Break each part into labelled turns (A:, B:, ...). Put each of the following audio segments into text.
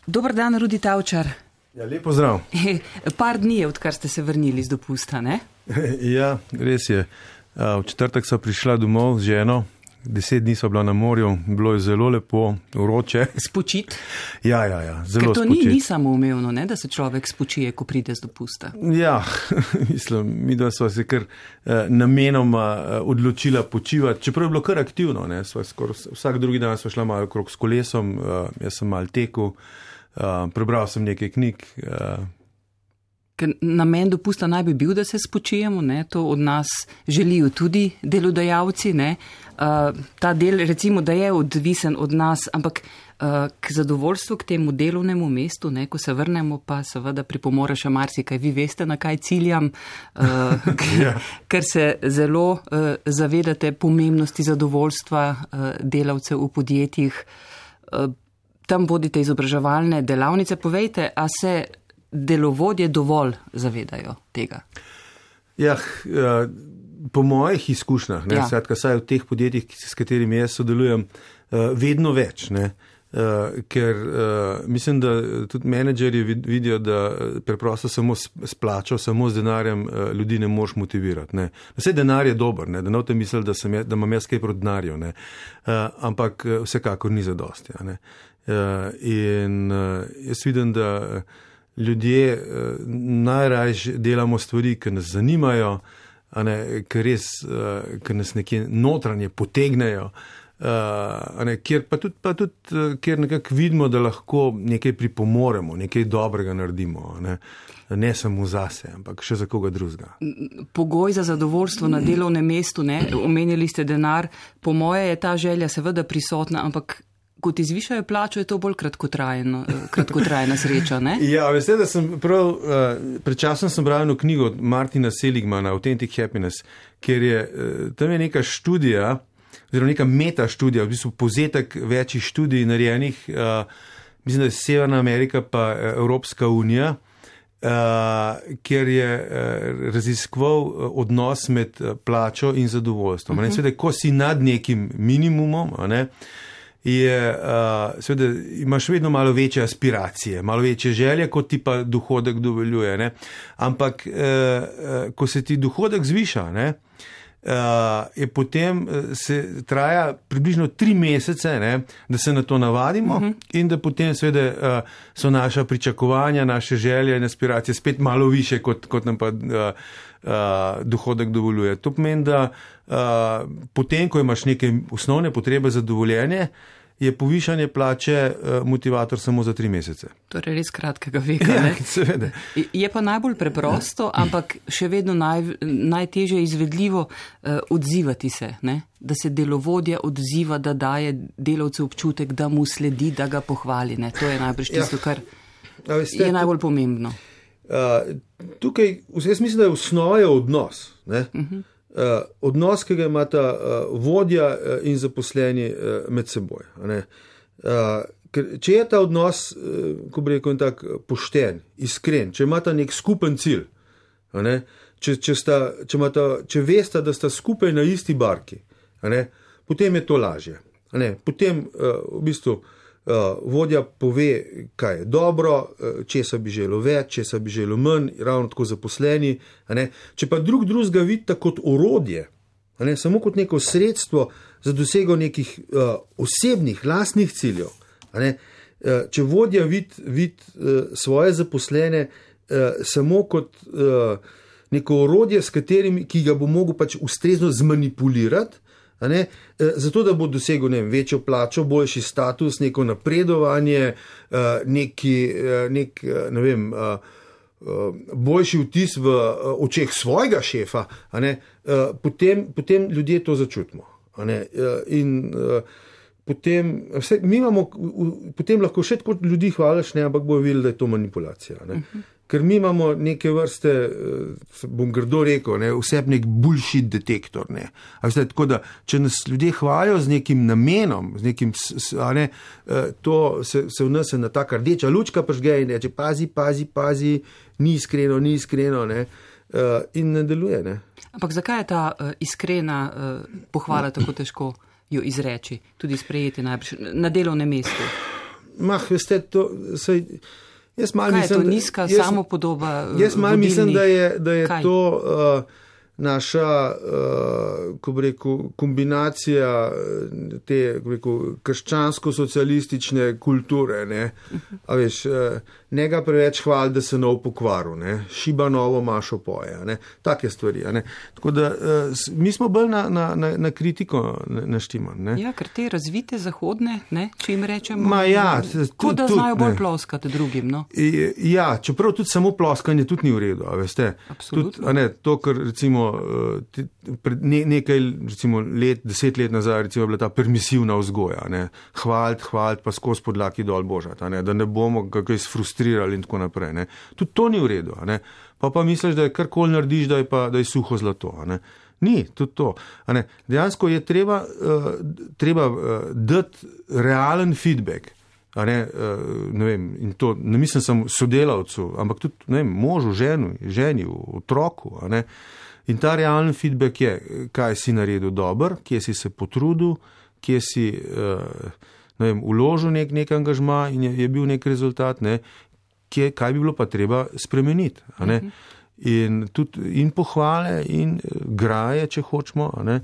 A: Dober dan, Rudi Tavčar.
B: Ja, lep pozdrav.
A: Par dni je, odkar ste se vrnili z dopusta, ne?
B: Ja, res je. V četrtek sva prišla domov z ženo, 10 dni sva bila na morju, bilo je zelo lepo, vroče.
A: Spočit?
B: Ja, zelo spočit.
A: Ker to ni samoumevno, ne, da se človek spočije, ko pride z dopusta.
B: Ja, mislim, mi da sva se kar namenoma odločila počivati, čeprav je bilo kar aktivno, ne, sva vsak drugi dan sva šla malo okrog s kolesom, jaz sem malo tekel, prebral sem nekaj knjig.
A: Ker namen dopusta naj bi bil, da se spočijemo, ne? To od nas želijo tudi delodajalci. Ne? Ta del recimo, da je odvisen od nas, ampak k zadovoljstvu, k temu delovnemu mestu, ne? Ko se vrnemo, pa seveda pripomore še marsikaj. Vi veste, na kaj ciljam, ker se zelo zavedate pomembnosti zadovoljstva delavcev v podjetjih. Tam vodite izobraževalne delavnice. Povejte, a se delovodje dovolj zavedajo tega?
B: Ja, po mojih izkušnjah, ne, skratka, saj v teh podjetjih, s katerimi jaz sodelujem, vedno več, ne, ker mislim, da tudi menedžerji vidijo, da preprosto samo s plačo, samo z denarjem ljudi ne moš motivirati. Ne. Vse denar je dober, ne, da ne boste mislili, da imam jaz kaj proti denarju, ne, ampak vsekakor ni zadosti. Ne. In jaz vidim, da ljudje najrajši delamo stvari, ki nas zanimajo, ki nas nekje notranje potegnejo, kjer pa tudi kjer nekako vidimo, da lahko nekaj pripomoremo, nekaj dobrega naredimo, ne samo zase, ampak še za koga drugega.
A: Pogoj za zadovoljstvo na delovnem mestu, ne, omenili ste denar, po moje je ta želja seveda prisotna, ampak ko ti zvišajo plačo, je to bolj kratkotrajna sreča, ne?
B: Ja, veste, da sem pred časom sem bral eno knjigo od Martina Seligmana, Authentic Happiness, kjer je, tam je neka študija, oziroma neka meta študija, v bistvu povzetek večjih študij narejenih, mislim, da je Severna Amerika pa Evropska unija, kjer je raziskoval odnos med plačo in zadovoljstvom. Seveda, ko si nad nekim minimumom, seveda imaš vedno malo večje aspiracije, malo večje želje, kot ti pa dohodek dovoljuje. Ne? Ampak, ko se ti dohodek zviša, ne, je potem se traja približno 3 mesece, ne, da se na to navadimo in da potem seveda so naša pričakovanja, naše želje in aspiracije spet malo više, kot nam pa dohodek dovoljuje. To pomeni, da potem, ko imaš neke osnovne potrebe za dovoljenje, je povišanje plače motivator samo za 3 mesece.
A: Torej res kratkega veka, ne?
B: Ja, seveda.
A: Je pa najbolj preprosto, ampak še vedno najtežje izvedljivo odzivati se, ne? Da se delovodja odziva, da daje delavcu občutek, da mu sledi, da ga pohvali. Ne? To je najbrž tisto, kar je najbolj pomembno.
B: Tukaj, jaz mislim, da je osnova je odnos. Ne? Odnos, ki ga imata vodja in zaposleni med seboj. Ker če je ta odnos, ko bi rekel, tak pošten, iskren, če imata nek skupen cilj, če veste, da sta skupaj na isti barki, potem je to lažje. Potem v bistvu vodja pove, kaj je dobro, česa bi želel več, česa bi želel manj, ravno tako zaposleni. Če pa drugega vidite kot orodje, samo kot neko sredstvo za dosego nekih osebnih, lastnih ciljev, če vodja vidi svoje zaposlene samo kot neko orodje, ki ga bo mogel pač ustrezno zmanipulirati, zato, da bo dosegel večjo plačo, boljši status, neko napredovanje, boljši vtis v očeh svojega šefa, potem ljudje to začutimo. In potem lahko še tako ljudi hvališ, ampak bojo videli, da je to manipulacija. Ker mi imamo neke vrste, bom grdo rekel, vseb nek bullshit detektor. Tako da, če nas ljudje hvalijo z nekim namenom, z nekim, to se v nas ena taka rdeča lučka prižge in reče, pazi, ni iskreno, in ne deluje. Ne?
A: Ampak zakaj je ta iskrena pohvala tako težko jo izreči, tudi sprejeti najbrž na delovnem mestu?
B: veste, jaz malo mislim...
A: Kaj je to nizka samopodoba?
B: Jaz malo mislim, da je to naša, ko bi rekel, kombinacija te, ko bi rekel, krščansko-socialistične kulture, ne. A veš, ne ga preveč hvali, da se nov pokvaru, ne. Šiba novo mašo poje, ne. Take stvari, ne. Tako da mi smo bolj na kritiko naštiman, ne.
A: Ja, ker te razvite zahodne, ne, če jim rečemo,
B: kot
A: da znajo bolj ploskati drugim, no.
B: Ja, čeprav tudi samo ploskanje tudi ni v redu, a veste.
A: Absolutno.
B: Tudi, to, kar recimo pred nekaj, recimo 10 let nazaj, recimo bila ta permisivna vzgoja, ne, hvaliti, pa skozi podlaki dol božati, ne, da ne bomo kakaj sfrustrirali in tako naprej, ne. Tudi to ni v redu, ne. Pa misliš, da je karkoli narediš, da je suho zlato, ne. Ni, tudi to. Ne. Dejansko je treba dati realen feedback, ne vem, in to ne mislim samo sodelavcu, ampak tudi, ne vem, možu, ženi, otroku, ne. In ta realen feedback je, kaj si naredil dober, kje si se potrudil, kje si, ne vem, vložil nek angažma in je bil nek rezultat, ne, kaj bi bilo pa treba spremeniti, ne. In pohvale in graje, če hočemo, ne,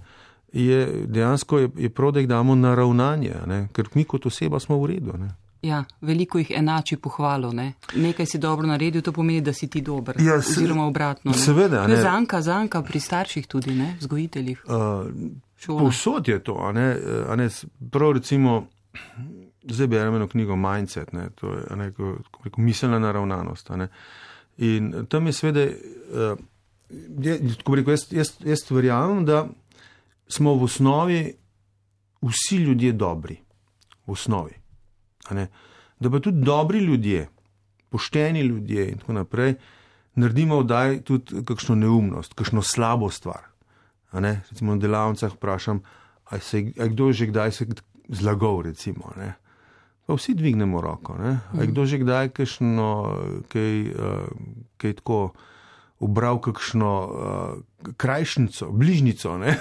B: dejansko je prav, da jih damo na ravnanje, ne, ker mi kot oseba smo v redu, ne.
A: Ja, veliko jih enači pohvalo, ne. Nekaj si dobro naredil, to pomeni, da si ti dober, oziroma obratno, ne.
B: Seveda, ne.
A: Zanka pri starših tudi, ne, vzgojiteljih.
B: Povsod je to, a ne, prav recimo, zdaj berem eno knjigo Mindset, ne, to je, a ne, ko miselna naravnanost, a ne. In tam je seveda, ko bi rekel, jaz verjamem, da smo v osnovi vsi ljudje dobri, v osnovi. Da pa tudi dobri ljudje, pošteni ljudje in tako naprej, naredimo vdaj tudi kakšno neumnost, kakšno slabo stvar. Recimo na delavnicah vprašam, a kdo že kdaj se zlagal, recimo. Ne? Pa vsi dvignemo roko. Ne? A kdo že kdaj kaj tako ubral kakšno krajšnico, bližnico, ne?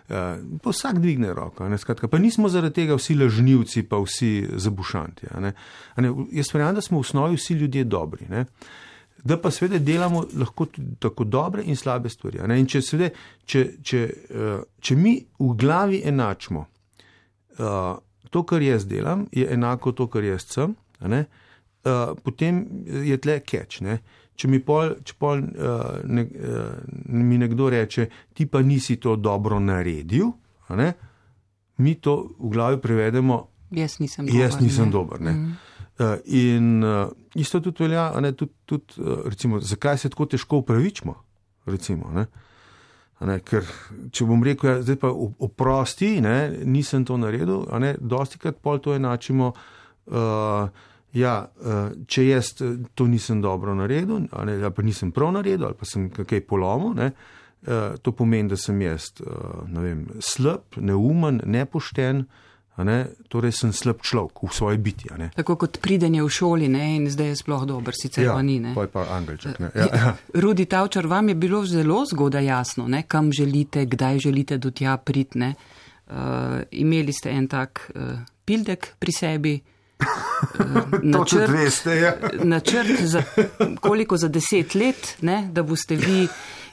B: Pa vsak dvigne roko, ne, skratka, pa nismo zaradi tega vsi lažnivci, pa vsi zabušanti, ne. Jaz verjamem, da smo v osnovi vsi ljudje dobri, ne. Da pa seveda delamo lahko tudi tako dobre in slabe stvari, ne. In če mi v glavi enačimo to, kar jaz delam, je enako to, kar jaz sem, ne, potem je tle catch, ne. Če mi nekdo reče, ti pa nisi to dobro naredil, ne, mi to v glavi prevedemo,
A: jaz nisem dober.
B: Ne. In isto tudi velja, ne, tudi, recimo, zakaj se tako težko upravičimo, recimo, ne. Ne, ker, če bom rekel, ja, zdaj pa oprosti, ne, nisem to naredil, ne, dostikrat pol to enačimo, če jaz to nisem dobro naredil, ali pa nisem prav naredil, ali pa sem kaj polomil, ne, to pomeni, da sem jaz, ne vem, slab, neumen, nepošten, ne, torej sem slab človek v svoji biti. Ne.
A: Tako kot pridenje v šoli, ne, in zdaj je sploh dober, sicer pa ni. Ne.
B: Ja, pa angelček. Ne.
A: Rudi Tavčar, vam je bilo zelo zgodaj jasno, ne, kam želite, kdaj želite do tja priti, ne. Imeli ste en tak pildek pri sebi, načrt za koliko za 10 let, ne, da boste vi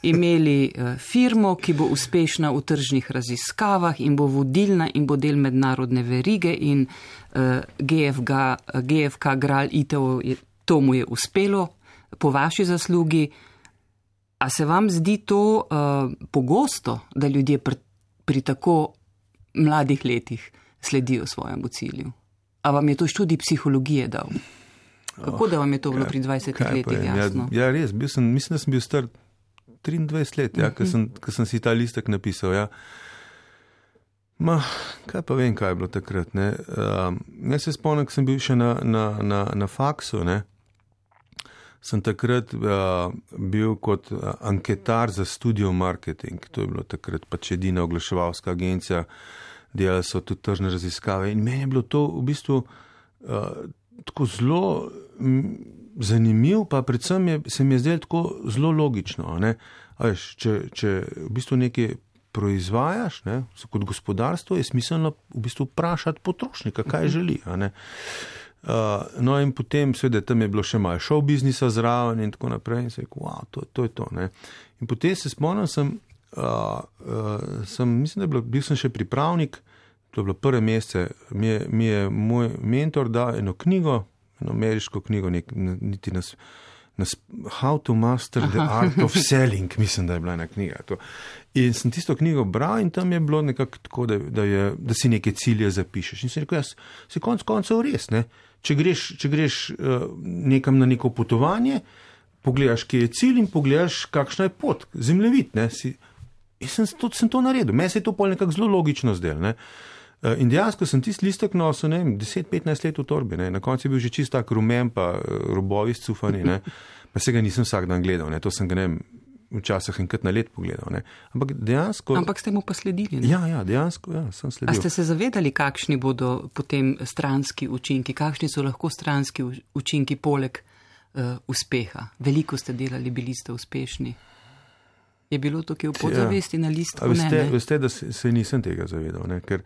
A: imeli firmo, ki bo uspešna v tržnih raziskavah in bo vodilna in bo del mednarodne verige in GFK Gral ITO, to mu je uspelo po vaši zaslugi. A se vam zdi to pogosto, da ljudje pri tako mladih letih sledijo svojemu cilju? A vam je to študij psihologije dal? Kako da vam je to bilo pri 20 letih jasno?
B: Ja, res, mislim, da sem bil star 23 let, ja, ko sem si ta listek napisal. Ja. Kaj pa vem, kaj je bilo takrat. Ne? Jaz se spomnim, ko sem bil še na faksu, ne? Sem takrat bil kot anketar za Studio Marketing. To je bilo takrat pač edina oglaševalska agencija, delali so tudi tržne raziskave in meni je bilo to v bistvu tako zelo zanimiv, pa predvsem se mi je zdelo tako zelo logično. Ne? Če v bistvu nekaj proizvajaš, ne, kot gospodarstvo, je smiselno v bistvu vprašati potrošnika, kaj želi. No in potem, seveda, tam je bilo še malo show biznisa zraven in tako naprej in se je rekel, wow, to je to. Ne. In potem se spomnim, mislim, da bil sem še pripravnik, to je bilo prve mesece, mi je moj mentor dal eno knjigo, eno ameriško knjigo, niti nas How to Master the Art of Selling, mislim, da je bila ena knjiga. To. In sem tisto knjigo bral in tam je bilo nekako tako, da si neke cilje zapišeš. In sem rekel, si konc koncev res, ne? Če greš nekam na neko potovanje, pogledaš, kje je cilj in pogledaš, kakšna je pot, zemljevid, ne? Sem to naredil. Meni se je to pol nekako zelo logično zdelo, ne? In dejansko sem tisti listek nosil, 10-15 let v torbi, ne? Na koncu je bil že čist tak rumen, pa robovi scufani, ne? Pa se ga nisem vsak dan gledal, ne? To sem ga, včasih enkrat na let pogledal, ne? Ampak dejansko...
A: Ampak ste mu pa sledili, ne?
B: Ja, dejansko, sem sledil.
A: A ste se zavedali, kakšni bodo potem stranski učinki, kakšni so lahko stranski učinki poleg uspeha? Veliko ste delali, bili ste uspešni. Je bilo to, ki v podzavesti na listku?
B: Veste, da se nisem tega zavedal, ne? Ker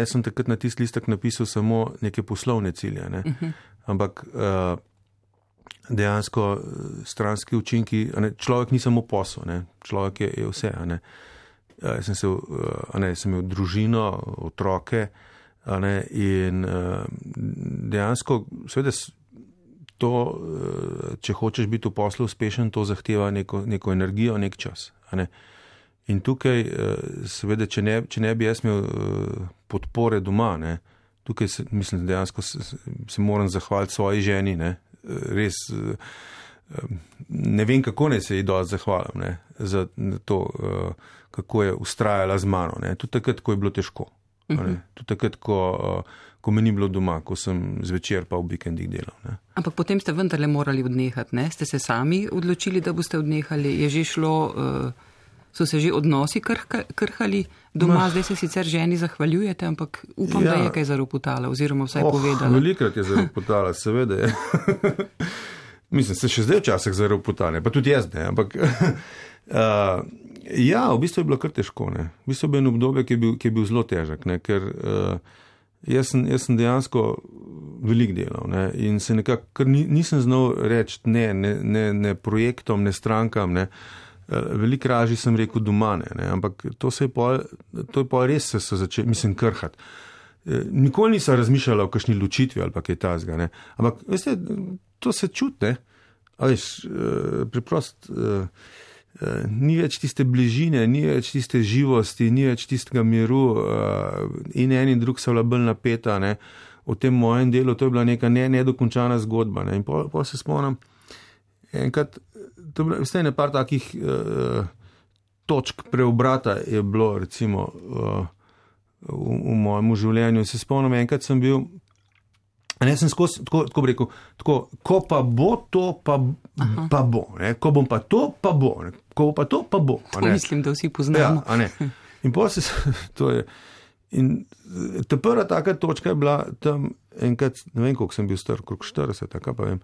B: sem takrat na tisti listek napisal samo neke poslovne cilje, ne? Ampak dejansko stranski učinki, človek ni samo posel, ne? Človek je vse. Sem imel družino, otroke, in dejansko seveda to, če hočeš biti v poslu uspešen, to zahteva neko energijo, nek čas. In tukaj, seveda, če ne bi jaz imel podpore doma, ne, tukaj mislim, dejansko se moram zahvaliti svoji ženi, ne, res ne vem, kako ne se ji dosti zahvalim, ne, za to, kako je ustrajala z mano, ne, tudi takrat, ko je bilo težko, ne, tudi takrat, ko me ni bilo doma, ko sem zvečer pa v vikendih delal, ne.
A: Ampak potem ste vendarle morali odnehati, ne, ste se sami odločili, da boste odnehali, je že šlo... So se že odnosi krhali doma, zdaj se sicer ženi zahvaljujete, ampak upam, da je kaj zaropotala, oziroma vsaj povedala.
B: Velikrat je zaropotala, seveda je. Mislim, se še zdaj včasih zaropotane, pa tudi jaz ne, ampak v bistvu je bilo kar težko, ne. V bistvu je bilo obdobje, ki je bil zelo težak, ne, ker jaz sem dejansko velik delal, ne, in se nekako nisem znal reči ne projektom, ne strankam, ne. Veliko raži sem rekel doma, ne, ampak to je pa res se začeli, mislim, krhati. Nikoli nisem razmišljala o kakšni ločitvi ali pa kaj tazga, ne. Ampak, veste, to se čuti, ne. Preprost, ni več tiste bližine, ni več tiste živosti, ni več tistega miru in en in drug so bila bolj napeta, ne. V tem mojem delu to je bila neka nedokončana zgodba, ne. In pol se spomnim, enkrat, vse je par takih točk preobrata je bilo, recimo, v mojem življenju. Se spomnim, enkrat sem bil, sem skozi, tako bi rekel, tako, ko pa bo to, pa bo, ne? Ko bom pa to, pa bo, ne? Ko bo pa to, pa bo.
A: To mislim, da vsi poznamo.
B: Ja, ne? In potem to je, in ta prva taka točka je bila tam enkrat, ne vem, koliko sem bil star, okrog 40, tako pa vem,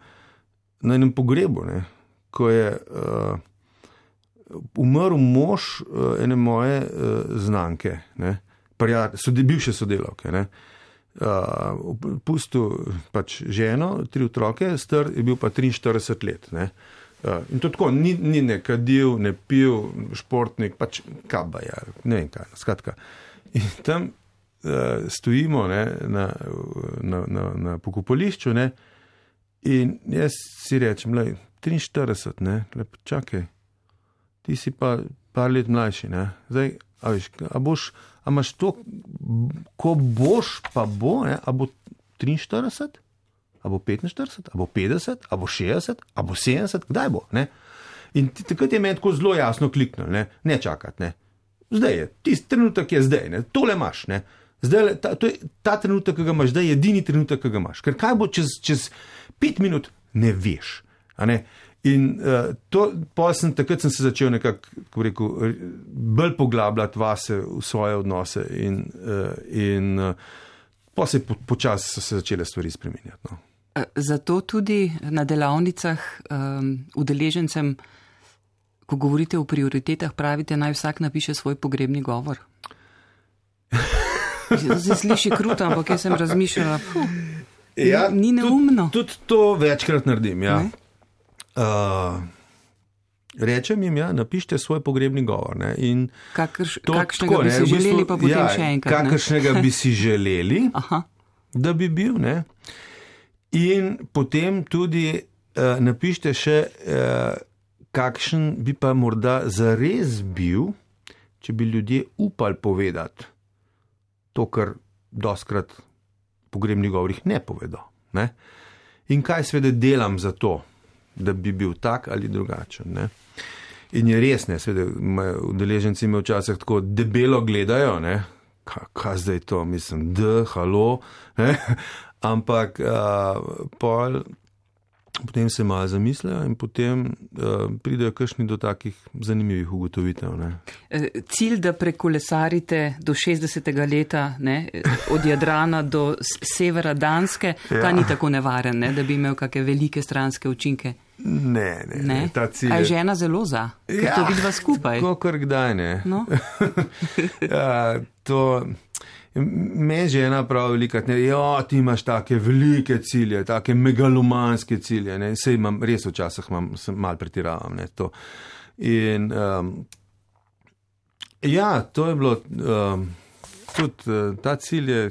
B: na enem pogrebu, ne? Ko je umrl mož ene moje znanke, ne, bivše sodelavke, ne, pustil pač ženo, 3 otroke, star je bil pa 43 let, ne, in to tako, ni ne kadil, ne pil, športnik, pač kabaja, ne vem kaj, skratka. In tam stojimo, ne, na pokopališču, ne, in jaz si rečem, 43, ne, lepo, čakaj, ti si pa par let mlajši, ne, zdaj, a imaš to, ko boš, pa bo, ne, a bo 43, a bo 45, a bo 50, a bo 60, a bo 70, kdaj bo, ne, in takrat je meni tako zelo jasno kliknil, ne čakati, ne, zdaj je, tisti trenutek je zdaj, ne, tole imaš, ne, zdaj, ta trenutek, ki ga imaš, zdaj je edini trenutek, ki ga imaš, ker kaj bo čez 5 minut, ne veš. In takrat sem se začel nekako, kako rekel, bolj poglabljati vase v svoje odnose in pa se počasi se začele stvari spreminjati. No.
A: Zato tudi na delavnicah udeležencem Ko govorite o prioritetah, pravite, naj vsak napiše svoj pogrebni govor. Se sliši kruto, ampak jaz sem razmišljala, ni neumno.
B: Tudi to večkrat naredim, ja. Rečem jim, napišite svoj pogrebni govor. Ne? In
A: kakšnega bi si želeli, pa potem še enkrat.
B: Kakšnega bi si želeli, da bi bil. Ne? In potem tudi napišite še, kakšen bi pa morda zares bil, če bi ljudje upali povedati to, kar doskrat v pogrebnih govorih ne povedo. Ne? In kaj seveda delam za to, da bi bil tak ali drugačen. Ne? In je res, ne, seveda, udeleženci me včasih tako debelo gledajo, ne, kaj zdaj to, mislim, halo, ne, ampak potem se malo zamislijo in potem pridejo kakšni do takih zanimivih ugotovitev. Ne.
A: Cilj, da prekolesarite do 60. leta, ne, od Jadrana do severa Danske, ta ni tako nevaren, ne, da bi imel kakšne velike stranske učinke.
B: Ne, ta cilj je...
A: A je žena zelo za, ker to vidva skupaj?
B: Tako kar kdaj ne.
A: No?
B: Me žena prav velikrat ne, ti imaš take velike cilje, take megalomanske cilje, ne, sej imam, res včasih malo pretiravam, ne, to. In to je bilo, tudi ta cilj je,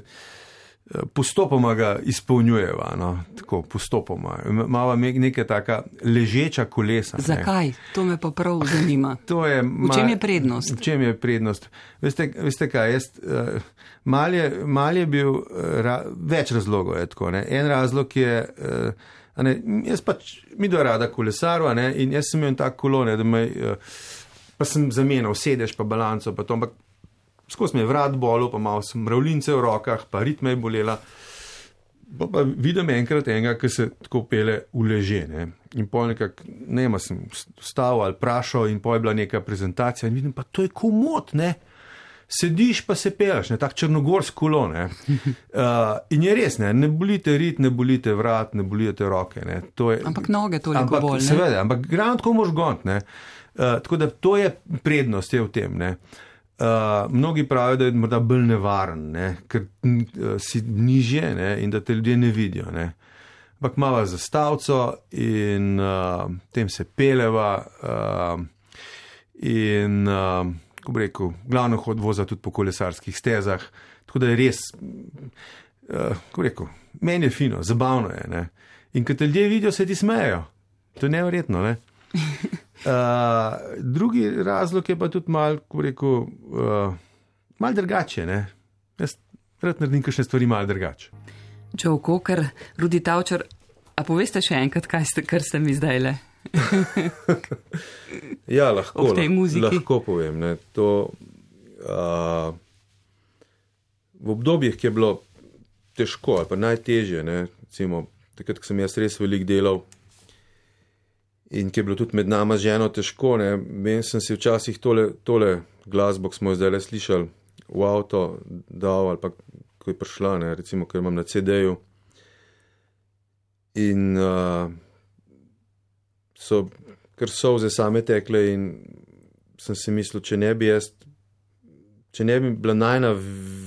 B: postopoma ga izpolnjujeva, no, tako postopoma. Mava neka taka ležeča kolesa.
A: Zakaj? To me pa prav zanima. V čem je prednost?
B: V čem je prednost? Veste kaj, mal je bil več razlogov, je tako, ne. En razlog je, jaz pač midva rada kolesarva, ne, in jaz sem imel tak kolo, ne, da pa sem zamenjal sedež, pa balanco, pa to, ampak skozi me je vrat bolel, pa malo sem mravljince v rokah, pa ritme je bolela. Pa vidim enkrat enega, ki se tako pele v leže. Ne? In pol nekako, sem vstal ali prašal in pol je bila neka prezentacija in vidim, pa to je komod, ne? Sediš pa se peleš, ne? Tak črnogorsk kolo, ne? In je res, ne bolite rit, ne bolite vrat, ne bolite roke, ne?
A: Ampak noge toliko bolj, ne?
B: Seveda, ampak ravno tako moš gont, ne? Tako da to je prednost, je v tem, ne? Mnogi pravijo, da je morda bolj nevaren, ne, ker si nižje, ne, in da te ljudje ne vidijo. Ne. Ampak mava zastavico in tem se peleva in, ko bi rekel, glavno voza tudi po kolesarskih stezah. Tako da je res, ko bi rekel, meni je fino, zabavno je. Ne. In ko te ljudje vidijo, se ti smejejo. To je neverjetno, ne. Drugi razlog je pa tudi malo, ko rekel, malo drugače, ne. Jaz rad naredim kakšne stvari malo drugače.
A: Joe Cocker, Rudi Tavčar, a poveste še enkrat, kar ste mi zdajle?
B: Ja, lahko.
A: Ob tej muziki.
B: Lahko povem, ne. To v obdobjih, ki je bilo težko ali pa najtežje, ne, recimo, takrat, ko sem jaz res veliko delal, in ki je bilo tudi med nama z ženo težko, ne, vem, sem si včasih tole glasbo, ki smo jo zdaj slišali, v avto dal, ali pa ko je prišla, ne, recimo, ker imam na CD-ju. In ker solze same tekle in sem si mislil, če ne bi bila najna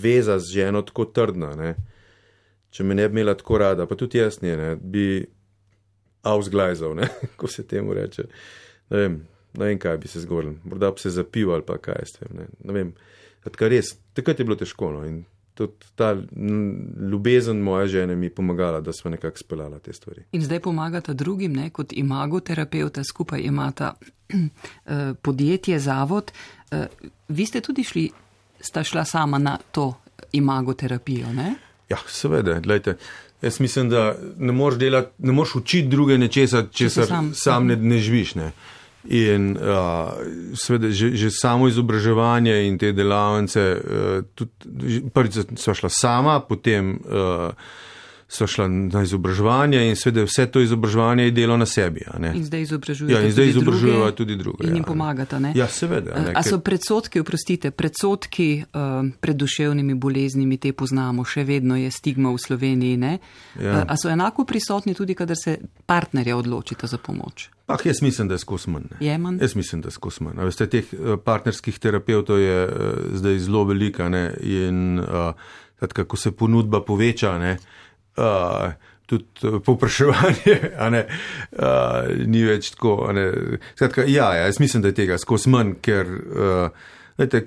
B: veza z ženo tako trdna, ne, če me ne bi imela tako rada, pa tudi jaz ne, bi ausglajzal, ne, ko se temu reče. Ne vem, kaj bi se zgodilo. Morda bi se zapil ali pa kaj s tem, ne vem. Takrat je bilo težko, no, in tudi ta ljubezen moja žene mi pomagala, da smo nekako speljala te stvari.
A: In zdaj pomagata drugim, ne, kot imagoterapeuta, skupaj imata podjetje, zavod. Vi ste tudi sta šla sama na to imagoterapijo, ne?
B: Ja, seveda, gledajte. Jaz mislim, da ne moreš učiti druge nečesa, česar sam ne živiš. Ne. In seveda že samo izobraževanje in te delavnice, tudi prvič sva šla sama, potem so šla na izobraževanje in seveda vse to izobraževanje je delo na sebi.
A: In zdaj izobražujejo
B: tudi druge.
A: In jim pomagata, ne?
B: Ja, seveda.
A: A so predsodki pred duševnimi boleznimi, te poznamo, še vedno je stigma v Sloveniji, ne? Ja. A so enako prisotni tudi, kadar se partnerja odločita za pomoč?
B: Jaz mislim, da je skos manj.
A: Je manj?
B: Jaz mislim, da je skos manj. Veste, teh partnerskih terapevtov je zdaj zelo velika, ne? In ko se ponudba poveča, ne? Tudi povpraševanje, ni več tako. Skratka, jaz mislim, da je tega skos manj, ker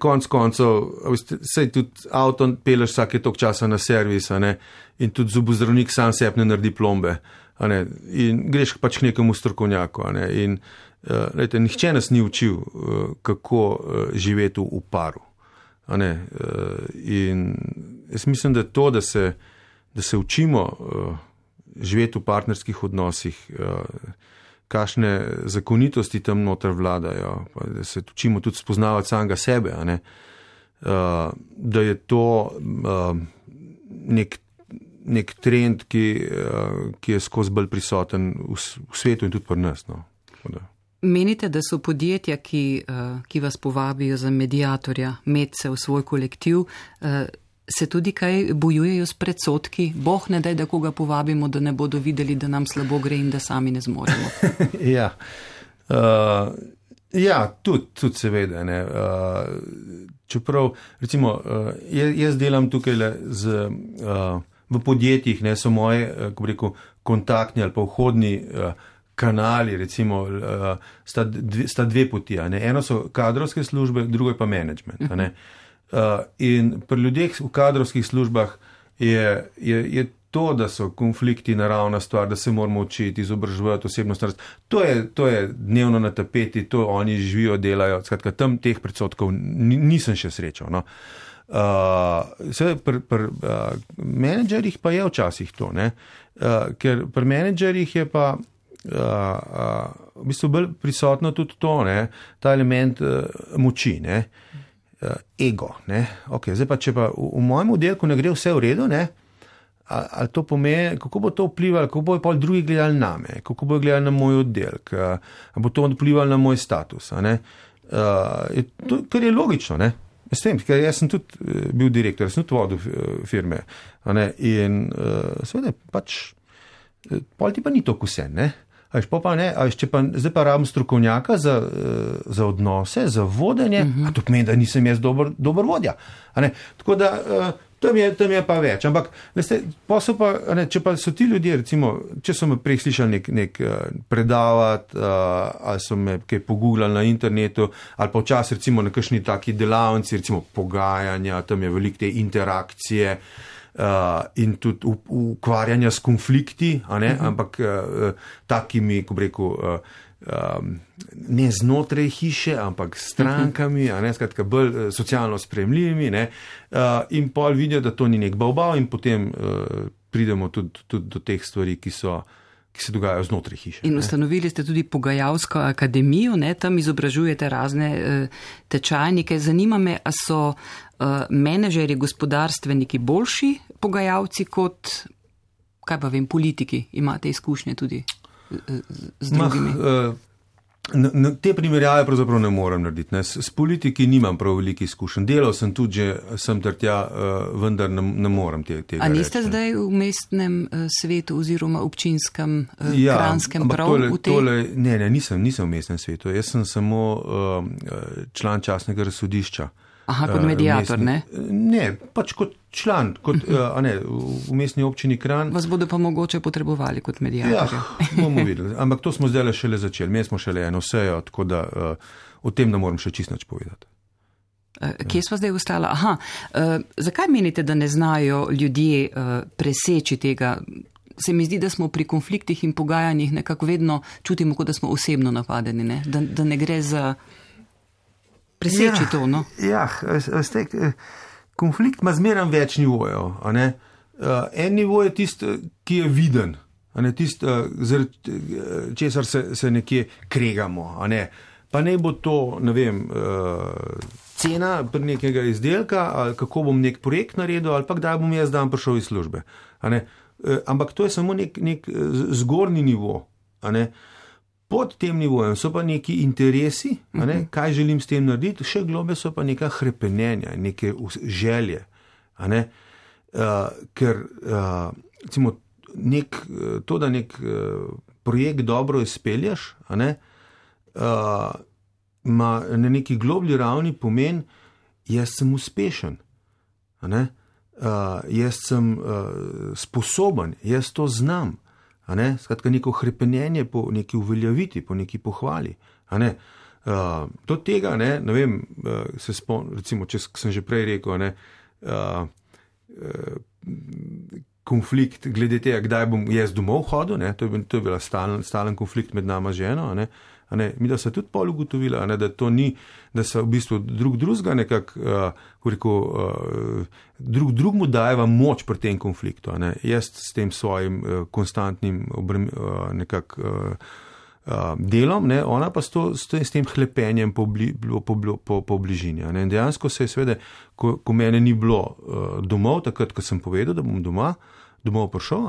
B: konc koncev, sej tudi avto peleš vsake toliko časa na servis, in tudi zobozdravnik sam sebi ne naredi plombe. In greš pač k nekemu strokovnjaku. In nihče nas ni učil, kako živeti v paru. In jaz mislim, da to, da se učimo živeti v partnerskih odnosih, kakšne zakonitosti tam noter vladajo, da se učimo tudi spoznavati samega sebe, da je to nek trend, ki je skozi bolj prisoten v svetu in tudi pri nas.
A: Menite, da so podjetja, ki vas povabijo za mediatorja, medse v svoj kolektiv, se tudi kaj bojujejo s predsodki? Boh ne daj, da koga povabimo, da ne bodo videli, da nam slabo gre in da sami ne zmoremo.
B: Tudi seveda. Čeprav, recimo, jaz delam tukaj v podjetjih, so moje, kako rekel, kontaktni ali pa vhodni kanali, recimo, sta dve poti. Eno so kadrovske službe, drugo je pa management. In pri ljudeh v kadrovskih službah je to, da so konflikti naravna stvar, da se moramo učiti, izobraževati osebnost. To je dnevno na tapeti, to oni živijo, delajo. Skratka, tam teh predsodkov nisem še srečal. Pri menedžerjih pa je včasih to, ker pri menedžerjih je pa v bistvu bolj prisotno tudi to, ta element moči, ego. Okay, zdaj pa, če pa v mojem oddelku ne gre vse v redu, ali to pomeni, kako bo to vplivalo, kako bojo pol drugi gledali name, kako bojo gledali na moj oddelek, ali bo to vplivalo na moj status. Kar je logično, S tem, ker jaz sem tudi bil direktor, sem tudi vodil firme. In seveda pač, pol ti pa ni toliko vse, zdaj pa rabim strokovnjaka za odnose, za vodenje, a to pomeni, da nisem jaz dober vodja. Tako da tam je pa več. Ampak, če pa so ti ljudje, recimo, če so me prej slišali nek predavati, ali so me kaj pogooglali na internetu, ali pa včasih recimo na kakšni taki delavnici, recimo pogajanja, tam je veliko te interakcije, in tudi ukvarjanja s konflikti, ampak takimi, ko bi rekel, ne znotraj hiše, ampak s strankami, skratka bolj socialno sprejemljivimi, in pol vidijo, da to ni nek bavbav in potem pridemo tudi do teh stvari, ki se dogajajo znotraj hiše.
A: In ustanovili ste tudi pogajalsko akademijo, tam izobražujete razne tečajnike. Zanima me, a so menedžerji, gospodarstveniki boljši pogajalci kot, kaj pa vem, politiki? Imate izkušnje tudi z drugimi?
B: Te primerjave pravzaprav ne morem narediti. S politiki nimam prav veliko izkušenj. Delal sem tudi že sem ter tja, vendar ne morem tega.
A: A niste
B: reči,
A: zdaj v mestnem svetu oziroma občinskem Kranjskem prav v tej?
B: Ne, nisem v mestnem svetu. Jaz sem samo član častnega razsodišča.
A: Aha, kot mediator, ne?
B: Ne, pač kot član, v mestni občini Kranj.
A: Vas bodo pa mogoče potrebovali kot mediatorja.
B: Bomo videli. Ampak to smo zdaj šele začeli. Mi smo šele eno sejo, tako da o tem ne morem še čisto nič povedati.
A: Kje sva zdaj ostala? Aha, zakaj menite, da ne znajo ljudje preseči tega? Se mi zdi, da smo pri konfliktih in pogajanjih nekako vedno čutimo, kot da smo osebno napadeni, ne? Da ne gre za preseči to, no?
B: Konflikt ima zmeraj več nivojev. En nivo je tisti, ki je viden, zaradi česar se nekje kregamo. Pa ne bo to, ne vem, cena nekega izdelka, ali kako bom nek projekt naredil, ali pa kdaj bom jaz dan prišel iz službe. ampak to je samo nek zgornji nivo. A ne? Pod tem nivojem so pa neki interesi, a ne? Kaj želim s tem narediti, še globe so pa neka hrepenenja, neke želje. A ne? Ker recimo, to, da nek projekt dobro izpelješ, a ne? Ma na neki globlji ravni pomen, jaz sem uspešen, a ne? Jaz sem sposoben, jaz to znam, a ne? Skratka, neko hrepenenje po neki uveljaviti, po neki pohvali, a ne? Do tega, ne vem, se spomnim, recimo, če sem že prej rekel, a ne, konflikt glede tega, kdaj bom jaz domov hodil, ne? To je bila stalen konflikt med nama ženo, a ne? Mi da se tudi pol ugotovila, da to ni, da se v bistvu drugega nekako, drugmu dajeva moč pri tem konfliktu. Jaz s tem svojim konstantnim delom, ona pa s tem hlepenjem po bližini. Dejansko se je seveda, ko mene ni bilo domov, takrat, ko sem povedal, da bom domov prišel,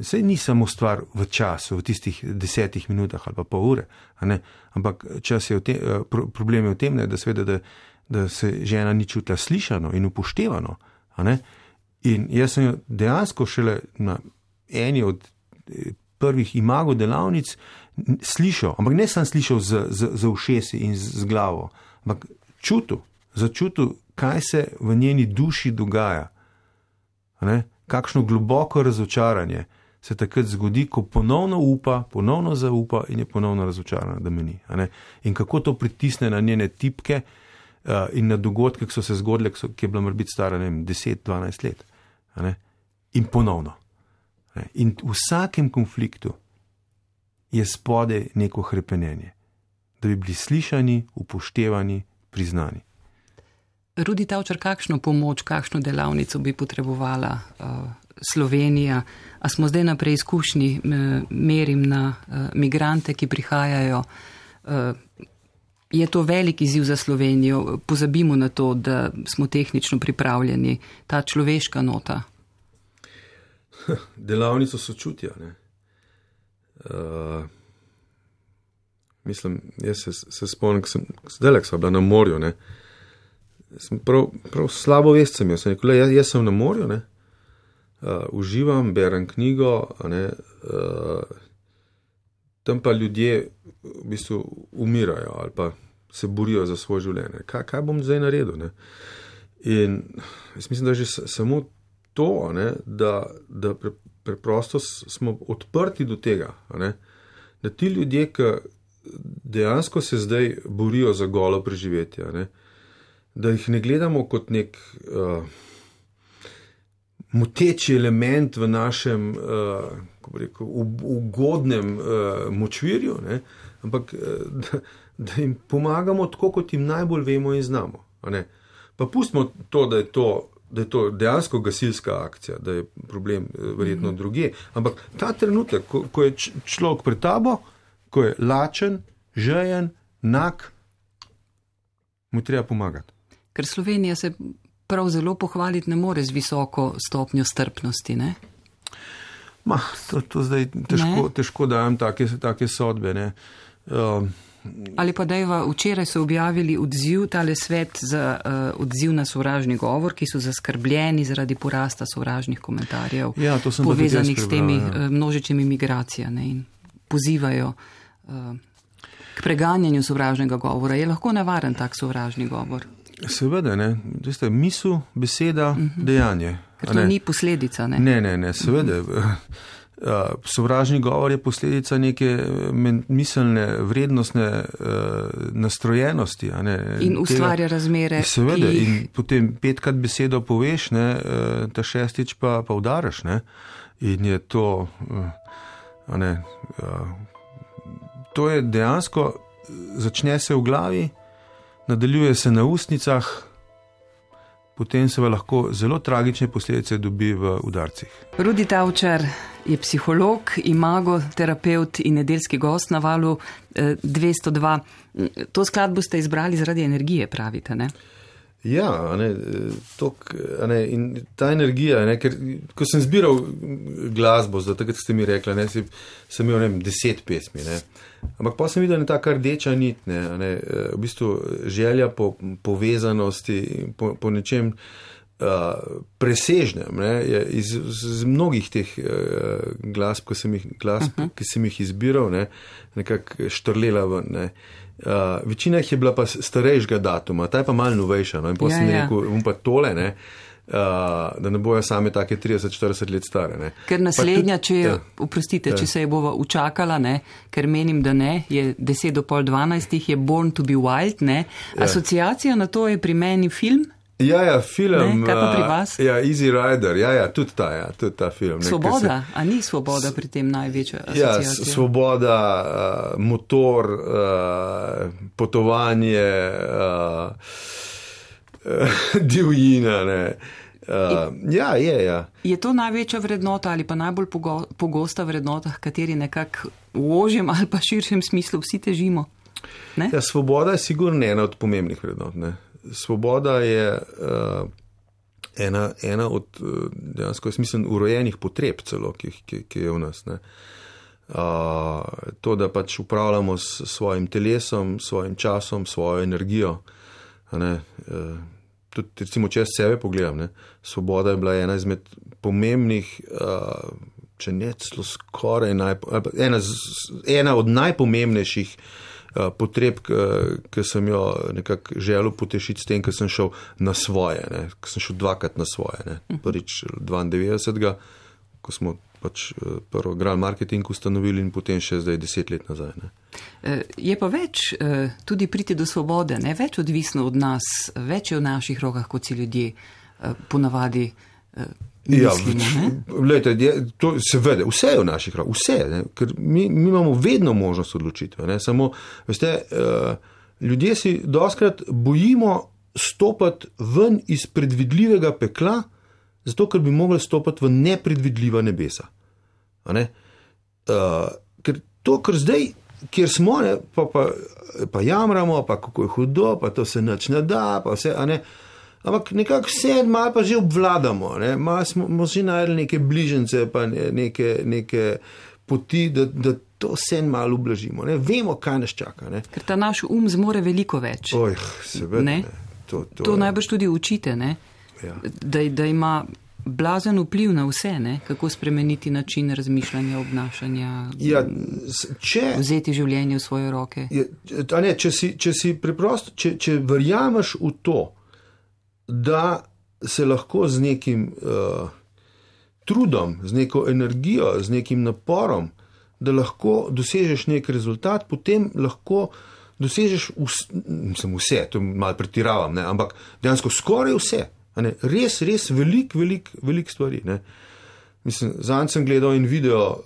B: saj ni samo stvar v času, v tistih 10 minutah ali pa pol ure, ampak čas je problem je v tem, da se žena ni čutila slišano in upoštevano. In jaz sem jo dejansko šele na eni od prvih imago delavnic slišal, ampak ne sem slišal z ušesi in z glavo, ampak začutil, kaj se v njeni duši dogaja. Kakšno globoko razočaranje se takrat zgodi, ko ponovno upa, ponovno zaupa in je ponovno razočarana, da me ni. In kako to pritisne na njene tipke in na dogodke, ki so se zgodile, ki je bila morbiti stara 10-12 let. In ponovno. In v vsakem konfliktu je spodaj neko hrepenenje, da bi bili slišani, upoštevani, priznani.
A: Rudi Tavčar, kakšno pomoč, kakšno delavnico bi potrebovala Slovenija? A smo zdaj na preizkušnji, merim na migrante, ki prihajajo? Je to velik izziv za Slovenijo? Pozabimo na to, da smo tehnično pripravljeni. Ta človeška nota.
B: Delavnico sočutja. Mislim, jaz se spomnim, zdaj sem bila na morju, sem prav slabo vest sem jaz. Jaz sem na morju, uživam, berem knjigo, tam pa ljudje v bistvu umirajo ali pa se borijo za svoje življenje. Kaj bom zdaj naredil? In jaz mislim, da že samo to, da preprosto smo odprti do tega, da ti ljudje, ki dejansko se zdaj borijo za golo preživetje, da jih ne gledamo kot nek moteči element v našem ugodnem močvirju, ampak da jim pomagamo tako, kot jim najbolj vemo in znamo. Pa pustimo to, da je to dejansko gasilska akcija, da je problem verjetno drugje, ampak ta trenutek, ko je človek pred tabo, ko je lačen, žejen, nag, mu treba pomagati.
A: Ker Slovenija se prav zelo pohvaliti ne more z visoko stopnjo strpnosti, ne?
B: To zdaj težko dajem take sodbe,
A: Ali pa dejva, včeraj so objavili odziv, tale svet za odziv na sovražni govor, ki so zaskrbljeni zaradi porasta sovražnih komentarjev, povezanih s temi množičnimi migracijami in pozivajo k preganjanju sovražnega govora. Je lahko nevaren tak sovražni govor?
B: Seveda, misel, beseda, dejanje.
A: Ker to ni posledica, ne?
B: Ne, seveda. Sovražni govor je posledica neke miselne, vrednostne nastrojenosti.
A: In ustvarja razmere.
B: Seveda, in potem 5krat besedo poveš, ta 6. pa udaraš. In je to, to je dejansko, začne se v glavi, nadaljuje se na ustnicah, potem se lahko zelo tragične posledice dobi v udarcih.
A: Rudi Tavčar je psiholog, imago, terapeut in nedeljski gost na Valu 202. To skladbo ste izbrali zaradi energije, pravite, ne?
B: Ja, in ta energija, ker ko sem zbiral glasbo, takrat ste mi rekli, sem imel 10 pesmi, ampak pa sem videl, ta kar rdeča nit, v bistvu želja po povezanosti, po nečem presežnem, iz mnogih teh glasb, ki sem jih izbiral, nekako štrlela ven, večina jih je bila pa starejšega datuma, ta je pa malo novejša, in potem sem rekel, pa tole, da ne bojo same take 30-40 let stare.
A: Ker naslednja, če se je bova učakala, ker menim, da je 10 do pol 12, je Born to be Wild, asociacija na to je pri meni film.
B: Ja, film.
A: Kaj pa pri vas?
B: Easy Rider, tudi ta film.
A: Svoboda, a ni svoboda pri tem največja asociacija?
B: Ja, svoboda, motor, potovanje, divjina, Ja.
A: Je to največja vrednota ali pa najbolj pogosta vrednota, kateri nekako v ožjem ali pa širšem smislu vsi težimo?
B: Ja, svoboda je sigurno ena od pomembnih vrednot. Svoboda je ena od dejansko, jaz mislim, urojenih potreb celo, ki je v nas. To, da pač upravljamo s svojim telesom, svojim časom, svojo energijo. Tudi, recimo, če jaz sebe pogledam, svoboda je bila ena izmed pomembnih, če ne celo skoraj ena od najpomembnejših potreb, ki sem jo nekako želel potešiti s tem, ker sem šel na svoje, ker sem šel dvakrat na svoje. Prvič 92, ko smo pač prvo Grand Marketing ustanovili in potem še zdaj 10 let nazaj.
A: Je pa več tudi priti do svobode, več odvisno od nas, več je v naših rokah, kot si ljudje ponavadi mislimo.
B: Glejte, to seveda, vse je v naših rokah, vse, ker mi imamo vedno možnost odločitve. Samo, veste, ljudje si dostikrat bojimo stopati ven iz predvidljivega pekla, zato, ker bi mogli stopati v nepredvidljiva nebesa. Ker zdaj, kjer smo, pa jamramo, pa kako je hudo, pa to se nič ne da, pa vse, ampak nekako vse malo pa že obvladamo, malo smo že najdeli neke bližnjice, pa neke poti, da to vse malo ublažimo. Vemo, kaj nas čaka.
A: Ker ta naš zmore veliko več.
B: Seveda.
A: To najbrž tudi učite,
B: Ja.
A: Da ima blazen vpliv na vse, kako spremeniti način razmišljanja, obnašanja, vzeti življenje v svoje roke.
B: Če si preprosto, če verjameš v to, da se lahko z nekim trudom, z neko energijo, z nekim naporom, da lahko dosežeš nek rezultat, potem lahko dosežeš vse, to malo pretiravam, ampak dejansko skoraj vse. Res velik stvari. Mislim, zanj sem gledal in video,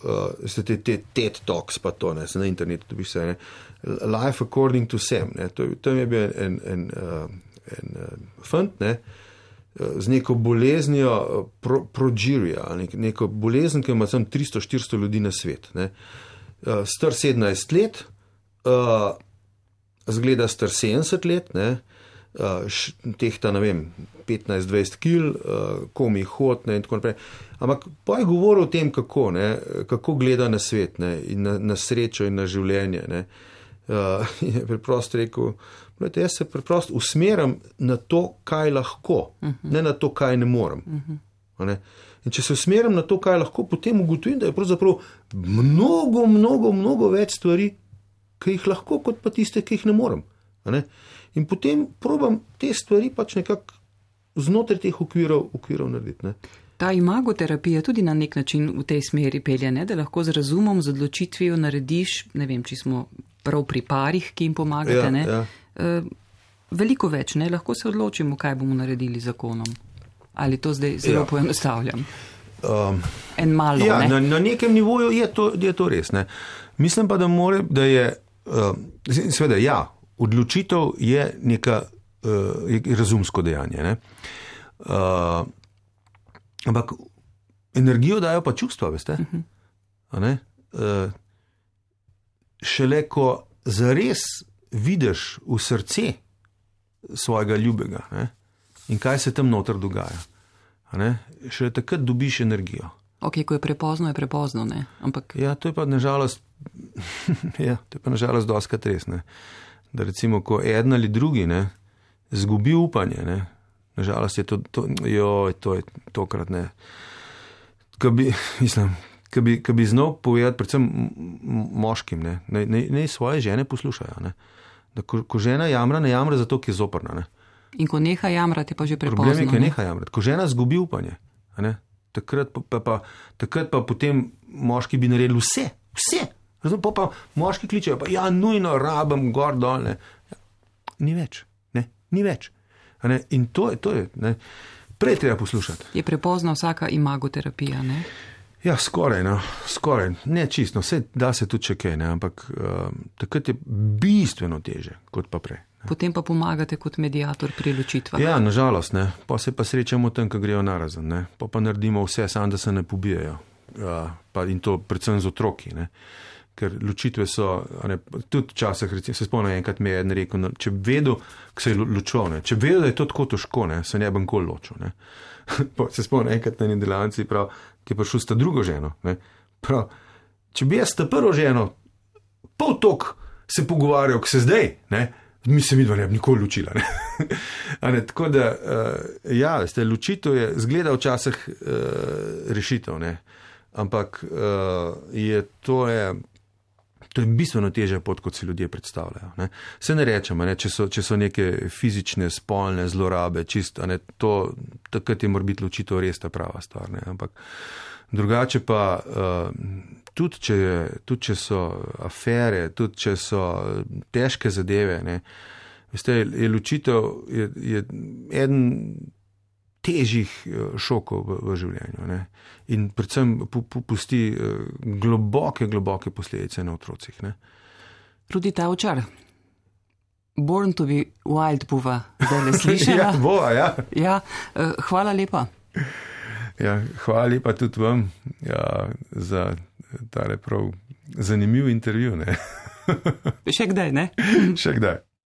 B: te TED Talks, pa to, se na internetu dobiš vse, Life According to Sam. Tam je bil en fant, z neko boleznijo progeria, neko bolezen, ki ima tam 300-400 ljudi na svet. Star 17 let, zgleda star 70 let, tehta, 15-20 kil, komi hod, in tako naprej. Ampak pa je govoril o tem, kako gleda na svet, in na srečo in na življenje. In je preprosto rekel, jaz se preprosto usmeram na to, kaj lahko, ne na to, kaj ne morem. In če se usmeram na to, kaj lahko, potem ugotovim, da je pravzaprav mnogo več stvari, ki jih lahko, kot pa tiste, ki jih ne morem. In potem probam te stvari pač nekako znotraj teh okvirov narediti.
A: Ta imagoterapija tudi na nek način v tej smeri pelje, da lahko z razumom, z odločitvijo narediš, ne vem, če smo prav pri parih, ki jim pomagate, veliko več, lahko se odločimo, kaj bomo naredili z zakonom. Ali to zdaj zelo poenostavljam? En malo,
B: Na nekem nivoju je to res. Mislim pa, da je, seveda, odločitev je neka razumsko dejanje. Ampak energijo dajo pa čustva, veste? Šele, ko zares vidiš v srce svojega ljubega, in kaj se tam noter dogaja. Še takrat dobiš energijo.
A: Ok, ko je prepozno, ne? Ampak...
B: Ja, to je pa nažalost doskrat res, ne? Da recimo, ko eden ali drugi, ne, zgubi upanje, ne, nažalost je to je tokrat, ne. Ko bi znal povedati predvsem moškim, ne svoje žene poslušajo, ne. Da ko žena jamra, ne jamra zato, ki je zoprna, ne.
A: In ko neha jamrati, je pa že prepozno.
B: Problem je, ko neha jamrati. Ko žena zgubi upanje, ne, takrat pa potem moški bi naredili vse. Pa moški kličejo, pa ja, nujno rabim gor dol, ne. Ni več. In to je, ne. Prej treba poslušati.
A: Je prepozna vsaka imagoterapija, ne?
B: Ja, skoraj. Ne čisto, vse da se tudi še kaj, ne, ampak takrat je bistveno teže, kot pa prej. Ne.
A: Potem pa pomagate kot mediator pri ločitvah.
B: Ja, nažalost, ne. Pa se pa srečamo tam, ko grejo narazen, ne. Pa naredimo vse, samo da se ne pobijajo. In to predvsem z otroki, ne. Ker ločitve so, tudi včasih, recimo, se spomnim, enkrat mi je eden rekel, če bi vedel, ko se je ločil, ne, če bi vedel, da je to tako težko, ne, se ne bi nikoli ločil, ne. Se spomnim, enkrat na eni delavnici, prav, ki je prišel s ta drugo ženo, ne, prav, če bi jaz ta prvo ženo pol tok se pogovarjal, ko se zdaj, ne, mi se midva ne bi nikoli ločila, ne. Tako da, ja, veste, ločitev je, zgleda včasih rešitev, ne, ampak to je bistveno težja pot, kot si ljudje predstavljajo. Ne. Se ne rečemo, ne, če so neke fizične, spolne zlorabe, čisto, ne, takrat je mora biti ločitev res ta prava stvar. Ne. Ampak drugače pa, tudi če so afere, tudi če so težke zadeve, ne, veste, je ločitev je eden težjih šokov v življenju, ne. In predvsem pusti globoke posledice na otrocih, ne.
A: Rudi Tavčar, Born to be Wild bova zdaj ne slišala.
B: Ja, bova, ja.
A: Ja, hvala lepa.
B: Ja, hvala lepa tudi vam, ja, za tale prav zanimiv intervju, ne.
A: Še kdaj, ne?
B: Še kdaj.